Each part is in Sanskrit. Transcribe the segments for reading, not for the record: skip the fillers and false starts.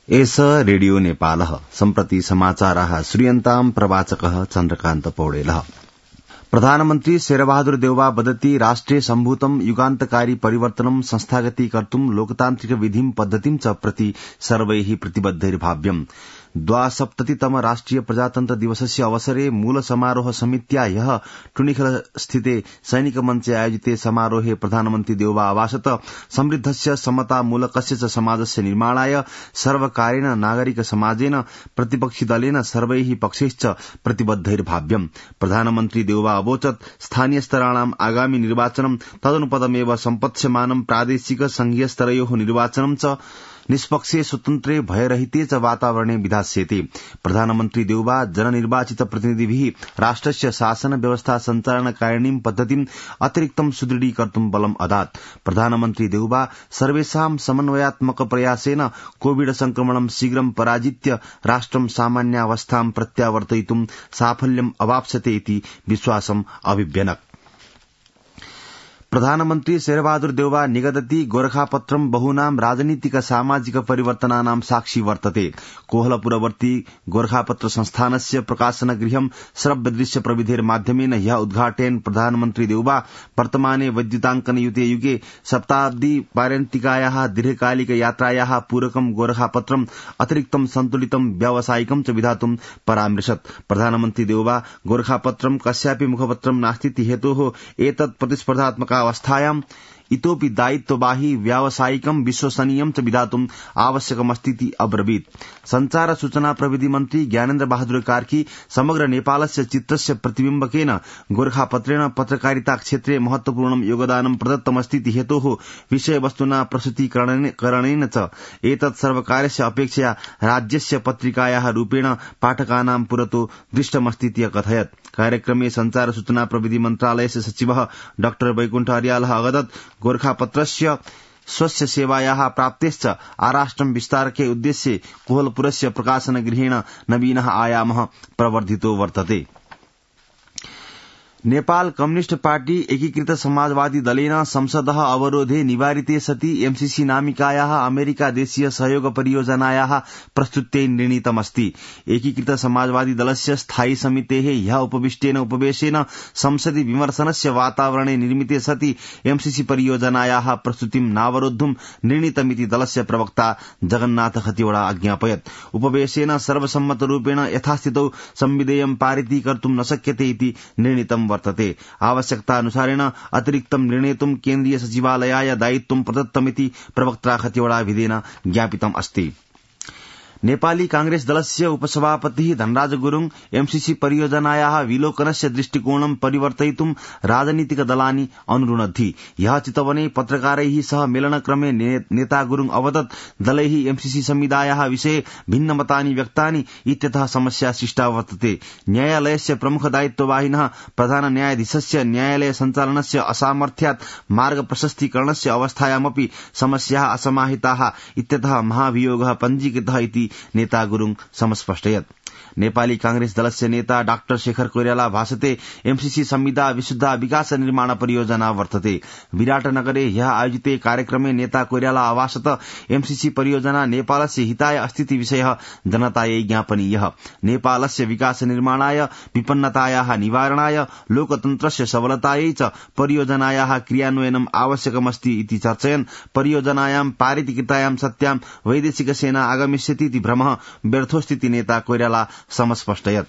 एष रेडियो नेपालः सम्प्रति समाचाराः श्रूयन्ताम् प्रवाचकः चन्द्रकान्त पौडेलः। प्रधानमन्त्री शेरबहादुर देउवा वदति राष्ट्रे सम्भूतं युगान्तकारी परिवर्तनं संस्थागती कर्तुं लोकतान्त्रिक विधिं पद्धतिं च प्रति सर्वैः प्रतिबद्धैर्भाव्यम्। 72तम राष्ट्रिय प्रजातन्त्र दिवसस्य अवसरे मूल समारोह समित्या ह्यः टुणिखल स्थिते सैनिक मञ्चे आयोजिते समारोहे प्रधानमन्त्री देउवा आवासत समृद्धस्य समतामूलकस्य च समाजस्य निर्माणाय सर्वकारेण नागरिक समाजेन प्रतिपक्षी दलेन सर्वैः पक्षैश्च प्रतिबद्धैर्भाव्यम्। प्रधानमन्त्री देउवा अवोचत् स्थानीय स्तराणाम् आगामि निर्वाचनं तदनुपदमेव सम्पत्स्यमानं प्रादेशिक संघीय स्तरयोः निर्वाचनं च निष्पक्षे स्वतन्त्रे भयरहिते च वातावरणे विधास्यते। प्रधानमन्त्री देउवा जननिर्वाचित प्रतिनिधिभिः राष्ट्रस्य शासन व्यवस्था सञ्चालनकारिणीं पद्धतिं अतिरिक्तं सुदृढीकर्तुं बलम् अदात्। प्रधानमन्त्री देउवा सर्वेषां समन्वयात्मक प्रयासेन कोविड संक्रमणं शीघ्रं पराजित्य राष्ट्रं सामान्यावस्थां प्रत्यावर्तयितुं साफल्यम् अवाप्स्यते इति विश्वासम् अभिव्यनक्। प्रधानमन्त्री शेरबहादुर देउवा निगदति गोरखापत्रं बहुनां राजनीतिक सामाजिक परिवर्तनानां साक्षी वर्तते। कोहलपुरवर्ती गोरखापत्र संस्थानस्य प्रकाशन गृहं श्रव्यदृश्य प्रविधेर माध्यमेन ह्यः उद्घाटयन् प्रधानमन्त्री देउवा वर्तमाने वैद्युताङ्कन युते युगे शताब्दी पारन्तिकायाः दीर्घकालिक यात्रायाः पूरकं गोरखापत्रम् अतिरिक्तं सन्तुलितं व्यावसायिकं च विधातुं परामृशत्। प्रधानमन्त्री देउवा गोरखापत्रं कस्यापि मुखपत्रं नास्तीति हेतोः एतत् प्रतिस्पर्धात्मक अवस्थायाम् इतोपि दायित्ववाही व्यावसायिकं विश्वसनीयं च विधातुम् आवश्यकमस्तीति अब्रवीत्। संचार सूचना प्रविधि मन्त्री ज्ञानेन्द्र बहादुर कार्की समग्र नेपालस्य चित्रस्य प्रतिबिम्बकेन गोरखापत्रेण पत्रकारिता क्षेत्रे महत्वपूर्णं योगदानं प्रदत्तमस्तीति हेतोः विषयवस्तुना प्रस्तुतीकरणेन च एतत् सर्वकारस्य अपेक्षया राज्यस्य पत्रिकायाः रूपेण पाठकानां पुरतो दृष्टमस्तीति अकथयत्। कार्यक्रमे संचार सूचना प्रविधि मन्त्रालयस्य सचिवः डॉ वैकुण्ठ अर्यालः अवदत् गोरखापत्रस्य स्वस्य सेवायाः प्राप्तेश्च आराष्ट्रं विस्तारके उद्देश्ये कोहलपुरस्य प्रकाशन गृहेण नवीनः आयामः प्रवर्धितो वर्तते। नेपाल कम्युनिष्ट पार्टी एकीकृत समाजवादी दलेन संसदः अवरोधे निवारिते सति एमसीसी नामिकायाः अमेरिका देशीय सहयोग परियोजनायाः प्रस्तुत्यै निर्णीतमस्ति। एकीकृत समाजवादी दलस्य स्थायी समितेः ह्यः उपविष्टेन उपवेशेन संसदि विमर्शनस्य वातावरणे निर्मिते सति एमसीसी परियोजनायाः प्रस्तुतिं नावरोद्धुं निर्णीतमिति दलस्य प्रवक्ता जगन्नाथ खतिवड़ा अज्ञापयत्। उपवेशेन सर्वसम्मतरूपेण यथास्थितौ संविधेयं पारितीकर्तुं न शक्यते इति निर्णीतं वर्तते। आवश्यकतानुसारेण अतिरिक्तं निर्णेतुं केन्द्रीय सचिवालयाय दायित्वं प्रदत्तमिति प्रवक्त्रा खतिवड़ा विधेन ज्ञापितम् अस्ति। नेपाली कांग्रेस दलस्य उपसभापतिः धनराज गुरुङ एमसीसी परियोजनायाः विलोकनस्य दृष्टिकोणं परिवर्तयितुं राजनीतिक दलानि अनुरुणद्धि। ह्यः चितवने पत्रकारैः सह मेलनक्रमे नेता गुरुङ अवदत् दलैः एमसीसी संविधायाः विषये भिन्नमतानि व्यक्तानि इत्यतः समस्या सृष्टा वर्तते। न्यायालयस्य प्रमुख दायित्ववाहिनः प्रधान न्यायाधीशस्य न्यायालय सञ्चालनस्य असामर्थ्यात् मार्ग प्रशस्तीकरणस्य अवस्थायामपि समस्याः असमाहिताः इत्यतः महाभियोगः पञ्जीकृतः इति नेता गुरुङ समस्पष्टयत्। नेपाली कांग्रेस दलस्य नेता डाक्टर शेखर कोइराला भाषते एमसीसी संविधा विशुद्ध विकास निर्माण परियोजना वर्तते। विराटनगरे ह्यः आयोजिते कार्यक्रमे नेता कोइराला आवासत एमसीसी परियोजना नेपालस्य हिताय अस्तीति विषयः जनतायै ज्ञापनीयः। नेपालस्य विकास निर्माणाय विपन्नतायाः निवारणाय लोकतन्त्रस्य सबलतायै च परियोजनायाः क्रियान्वयनम् आवश्यकमस्ति इति चर्चयन् परियोजनायां पारितीकृतायां सत्यां वैदेशिक सेना आगमिष्यति इति भ्रमः व्यर्थोस्तीति नेता कोइराला समस्पष्टयत्।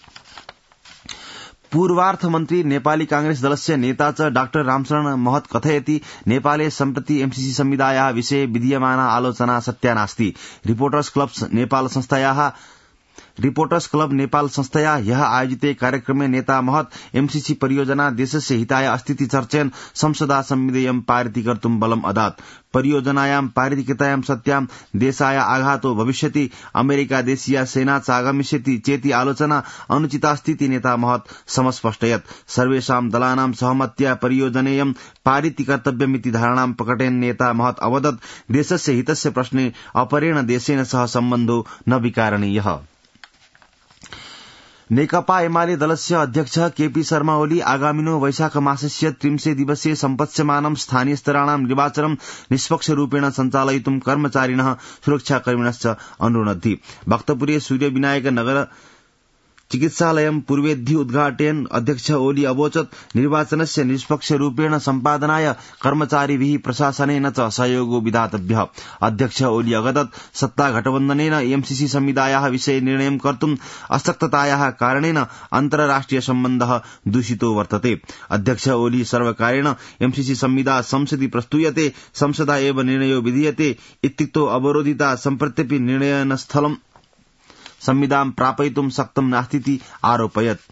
पूर्वार्थमन्त्री नेपाली कांग्रेस दलस्य नेता च डाक्टर रामशरण महत कथयति नेपाले सम्प्रति एमसीसी संविधायाः विषये विधीयमाना आलोचना सत्या नास्ति। रिपोर्टर्स क्लब नेपाल संस्थया ह्यः आयोजिते कार्यक्रमे नेता महत एमसीसी परियोजना देशस्य हिताय अस्तीति चर्चयन् संसदा संविधेयं पारितीकर्तुं बलम् अदात्। परियोजनायां पारितीकृतायां सत्यां देशाय आघातो भविष्यति अमेरिका देशीया सेना च आगमिष्यति चेति आलोचना अनुचितास्तीति नेता महत समस्पष्टयत्। सर्वेषां दलानां सहमत्या परियोजनेयं पारितीकर्तव्यमिति धारणां प्रकटयन् नेता महत अवदत् देशस्य हितस्य प्रश्ने अपरेण देशेन सह सम्बन्धो न विकारणीयः। नेकपा एमाले दलस्य अध्यक्ष केपी शर्मा ओली आगामिनो वैशाख मासस्य 300 दिवसीय सम्पत्स्यमानं स्थानीयस्तराणां निर्वाचनं निष्पक्षरूपेण सञ्चालयितुं कर्मचारिणः सुरक्षाकर्मिणश्च अनुरुणद्धि। भक्तपुरे सूर्यविनायक नगर चिकित्सालयं पूर्वेद्धि उद्घाटयन् अध्यक्ष ओली अवोचत् निर्वाचनस्य निष्पक्षरूपेण सम्पादनाय कर्मचारिभिः प्रशासनेन च सहयोगो विधातव्यः। अध्यक्ष ओली अवदत् सत्तागठबन्धनेन एमसीसी संविदायाः विषये निर्णयं कर्तुम् अशक्ततायाः कारणेन अन्तर्राष्ट्रिय सम्बन्धः दूषितो वर्तते। अध्यक्ष ओली सर्वकारेण एमसीसी संविदा संसदि प्रस्तूयते, संसदा एव निर्णयो विधीयते इत्युक्तो अवरोधिता सम्प्रत्यपि निर्णयनस्थलं संविदां प्रापयितुं शक्तं नास्तीति आरोपयत्।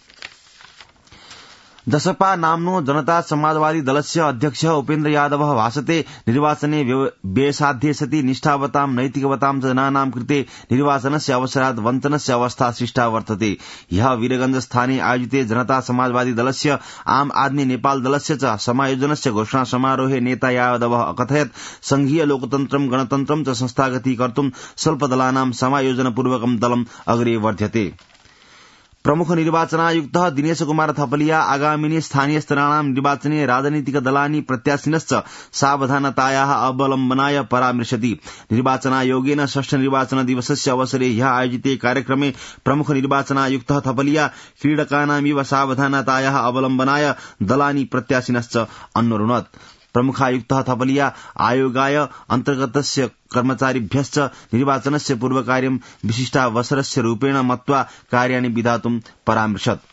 जसपा नाम्नो जनता समाजवादी दलस्य अध्यक्ष उपेन्द्र यादवः भाषते निर्वाचने व्ययसाध्ये सति निष्ठावतां नैतिकवतां जनानां कृते निर्वाचनस्य अवसरात् वञ्चनस्य अवस्था सृष्टा वर्तते। ह्यः वीरगंज स्थाने आयोजिते जनता समाजवादी दलस्य आम आदमी नेपाल दलस्य च समायोजनस्य घोषणा समारोहे नेता यादवः अकथयत् संघीय लोकतन्त्रं गणतन्त्रं च संस्थागतीकर्तुं स्वल्पदलानां समायोजनपूर्वकं दलम् अग्रे वर्ध्यते। प्रमुख निर्वाचनायुक्त दिनेश कुमार थपलिया आगामिनी स्थानीय स्तराणां निर्वाचने राजनीतिकदलानि प्रत्याशिनश्च सावधानतायाः अवलम्बनाय परामृशति। निर्वाचनायोगेन षष्ठ निर्वाचन दिवसस्य अवसरे ह्यः आयोजिते कार्यक्रमे प्रमुख निर्वाचनायुक्त थपलिया क्रीडकानामिव सावधानतायाः अवलम्बनाय दलानि प्रत्याशिनश्च अन्वरुणत्। प्रमुखायुक्त थपलिया आयोगाय अन्तर्गतस्य कर्मचारिभ्यश्च निर्वाचनस्य पूर्वकार्यं विशिष्टावसरस्य रूपेण मत्वा कार्याणि विधातुं परामृशत्।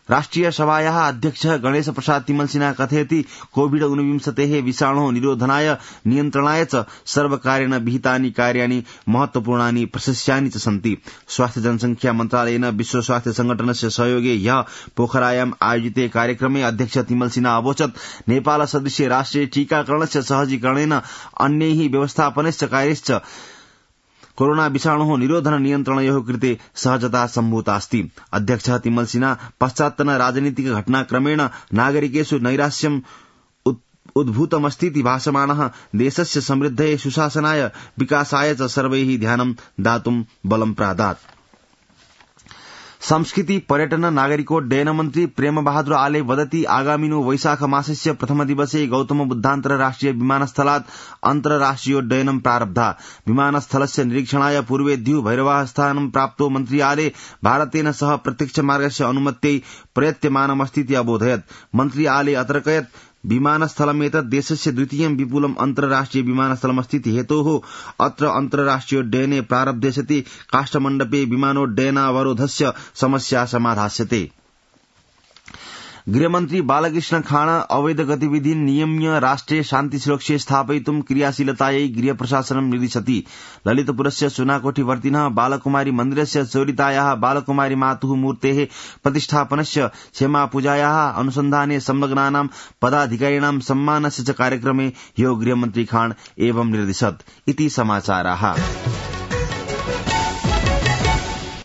राष्ट्रिय सभायाः अध्यक्षः गणेश प्रसाद तिमलसिन्हा कथयति कोविड-19 विषाणोः निरोधनाय नियन्त्रणाय च सर्वकारेण विहितानि कार्याणि महत्वपूर्णानि प्रशस्यानि च सन्ति। स्वास्थ्य जनसंख्या मन्त्रालयेन विश्व स्वास्थ्य संगठनस्य सहयोगे ह्यः पोखरायां आयोजिते कार्यक्रमे अध्यक्ष तिमलसिन्हा अवोचत् नेपाल सदृशे राष्ट्रे टीकाकरणस्य सहजीकरणेन अन्यैः व्यवस्थापनस्य कार्यश्च कोरोना विषाणोः निरोधन नियन्त्रणयोः कृते सहजता सम्भूतास्ति। अध्यक्षः तिमलसिन्हा पश्चात्तन राजनीतिक घटनाक्रमेण नागरिकेषु नैराश्यम् उद्भूतमस्तीति भासमानः देशस्य समृद्धये सुशासनाय विकासाय च सर्वैः ध्यानं दातुं बलं प्रादात्। संस्कृति पर्यटन नागरिकोड्डयन मन्त्री प्रेम बहादुर आले वदति आगामिनो वैशाख मासस्य प्रथम दिवसे गौतम बुद्धान्तरराष्ट्रिय विमानस्थलात् अन्तर्राष्ट्रियोड्डयनं प्रारब्धा। विमानस्थलस्य निरीक्षणाय पूर्वेद्यु भैरवाः स्थानं प्राप्तो मन्त्री आले भारतेन सह प्रत्यक्ष मार्गस्य अनुमत्यै प्रयत्यमानमस्तीति अबोधयत्। मन्त्री आले अतर्कयत् विमानस्थलमेतत् देशस्य द्वितीयं विपुलम् अन्तर्राष्ट्रिय विमानस्थलमस्तीति हेतोः अत्र अन्तर्राष्ट्रियोड्डयने प्रारब्धे सति काष्ठमण्डपे विमानोड्डयनावरोधस्य समस्या समाधास्यते। गृहमन्त्री बालकृष्ण खाँड अवैध गतिविधिन् नियम्य राष्ट्रे शान्ति सुरक्षे स्थापयितुं क्रियाशीलतायै गृह प्रशासनं निर्दिशति। ललितपुरस्य सुनाकोठीवर्तिनः बालकुमारी मन्दिरस्य चोरितायाः बालकुमारी मातुः मूर्तेः प्रतिष्ठापनस्य क्षमापूजायाः अनुसन्धाने संलग्नानां पदाधिकारिणां सम्मानस्य च कार्यक्रमे ह्यो गृहमन्त्री खाँड एवं निर्दिशत् इति समाचाराः।